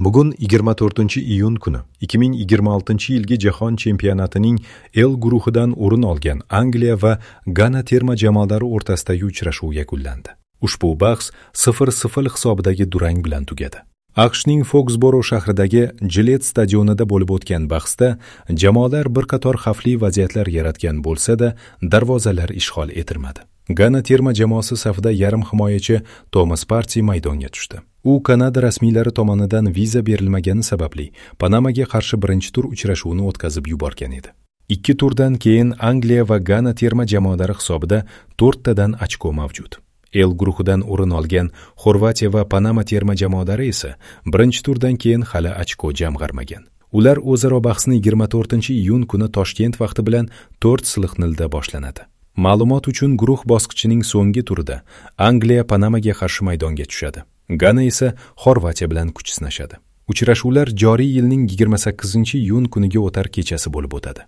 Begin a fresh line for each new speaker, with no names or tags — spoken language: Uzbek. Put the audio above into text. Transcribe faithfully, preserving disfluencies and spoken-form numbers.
Bugun yigirma to'rtinchi iyun kuni ikki ming yigirma oltinchi yilgi Jahon chempionatining L guruhidan o'rin olgan Angliya va Gana terma jamoalari o'rtasidagi uchrashuv yakunlandi. Ushbu bahs sifir sifir hisobidagi durang bilan tugadi. A Q Shning Foksboro shahridagi Gillette stadionida bo'lib o'tgan bahsda jamoalar bir qator xavfli vaziyatlar yaratgan bo'lsa-da, darvozalar ishg'ol etilmadi. Gana terma jamoasi safida yarim himoyachi Tomas Parti maydonga tushdi. U Kanada rasmiylari tomonidan viza berilmagani sababli Panamaga qarshi birinchi tur uchrashuvini o'tkazib yuborgan edi. Ikki turdan keyin Angliya va Gana terma jamoalari hisobida to'rttadan ochko mavjud. L guruhidan o'rin olgan Xorvatiya va Panama terma jamoalari esa birinchi turdan keyin hali ochko jamg'armagan. Ular o'zaro bahsni yigirma to'rtinchi iyun kuni Toshkent vaqti bilan to'rt silliq nolda boshlanadi. Ma'lumot uchun, guruh bosqichining so'nggi turida Angliya Panamaga qarshi maydonga tushadi. Gana esa Xorvatiya bilan kuch sinashadi. Uchrashuvlar joriy yilning yigirma sakkizinchi iyun kuniga o'tar kechasi bo'lib o'tadi.